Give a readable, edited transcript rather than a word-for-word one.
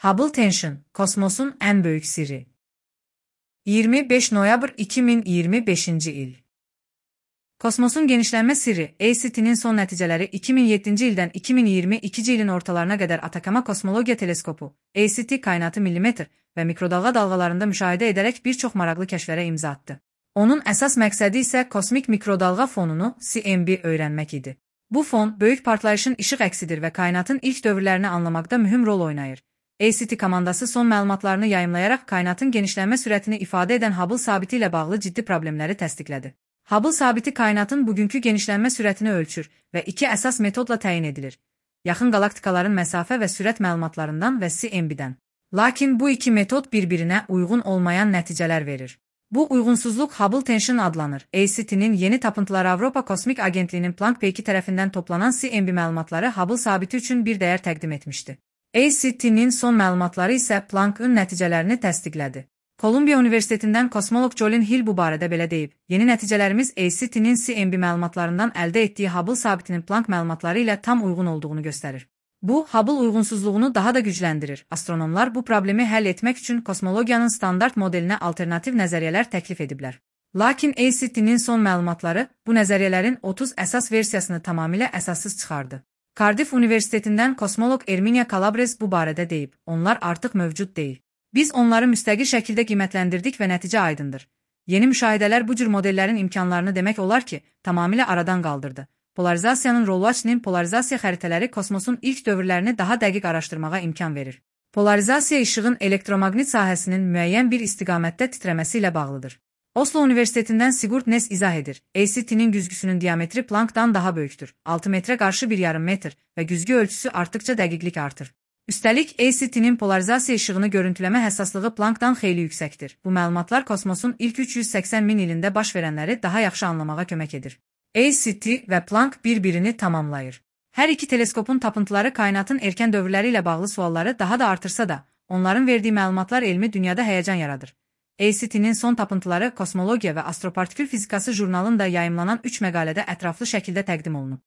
Hubble Tension, kosmosun en büyük sirri. 25 noyabr 2025 il. Kosmosun genişlənmə sirri, ACT-nin son nəticələri 2007-ci ildən 2022-ci ilin ortalarına qədər Atacama Kosmologiya Teleskopu, ACT kainatı millimetr və mikrodalğa dalğalarında müşahidə edərək bir çox maraqlı kəşflərə imza atdı. Onun əsas məqsədi isə kosmik mikrodalğa fonunu CMB öyrənmək idi. Bu fon, böyük partlayışın işıq əksidir və kainatın ilk dövrlərini anlamaqda mühüm rol oynayır. ACT komandası son məlumatlarını yayımlayaraq kainatın genişlənmə sürətini ifadə edən Hubble sabiti ilə bağlı ciddi problemləri təsdiqlədi. Hubble sabiti kainatın bugünkü genişlənmə sürətini ölçür və iki əsas metodla təyin edilir: yaxın qalaktikaların məsafə və sürət məlumatlarından və CMB-dən. Lakin bu iki metod bir-birinə uyğun olmayan nəticələr verir. Bu uyğunsuzluq Hubble Tension adlanır. ACT-nin yeni tapıntıları Avropa Kosmik Agentliyinin Planck peyki tərəfindən toplanan CMB məlumatları Hubble sabiti üçün bir dəyər təqdim etmişdi. ACT-nin son məlumatları isə Planck'ın nəticələrini təsdiqlədi. Kolumbiya Universitetindən kosmoloq Jolyn Hill bu barədə belə deyib: "Yeni nəticələrimiz ACT-nin CMB məlumatlarından əldə etdiyi Hubble sabitinin Planck məlumatları ilə tam uyğun olduğunu göstərir." Bu, Hubble uyğunsuzluğunu daha da gücləndirir. Astronomlar bu problemi həll etmək üçün kosmologiyanın standart modelinə alternativ nəzəriyyələr təklif ediblər. Lakin ACT-nin son məlumatları bu nəzəriyyələrin 30 əsas versiyasını tamamilə əsassız çıxardı. Cardiff Universitetindən kosmoloq Erminia Calabrese bu barədə deyib: "Onlar artıq mövcud deyil. Biz onları müstəqil şəkildə qiymətləndirdik və nəticə aydındır. Yeni müşahidələr bu cür modellərin imkanlarını demək olar ki, tamamilə aradan qaldırdı." Polarizasiyanın rolu açının polarizasiya xəritələri kosmosun ilk dövrlərini daha dəqiq araşdırmağa imkan verir. Polarizasiya işığın elektromaqnit sahəsinin müəyyən bir istiqamətdə titrəməsi ilə bağlıdır. Oslo Universitetindən Sigurd Næss izah edir: "ACT-nin güzgüsünün diametri Planck'dan daha böyükdür. 6 metrə qarşı 1,5 metr və güzgü ölçüsü artdıqca dəqiqlik artır." Üstəlik, ACT-nin polarizasiya işığını görüntüləmə həssaslığı Planck'dan xeyli yüksəkdir. Bu məlumatlar kosmosun ilk 380 min ilində baş verənləri daha yaxşı anlamağa kömək edir. ACT və Planck bir-birini tamamlayır. Hər iki teleskopun tapıntıları kainatın erkən dövrləri ilə bağlı sualları daha da artırsa da, onların verdiyi məlumatlar elmi dünyada həyəcan yaradır. ACT-nin son tapıntıları Kosmologiya və Astropartikül Fizikası jurnalında yayımlanan 3 məqalədə ətraflı şəkildə təqdim olunub.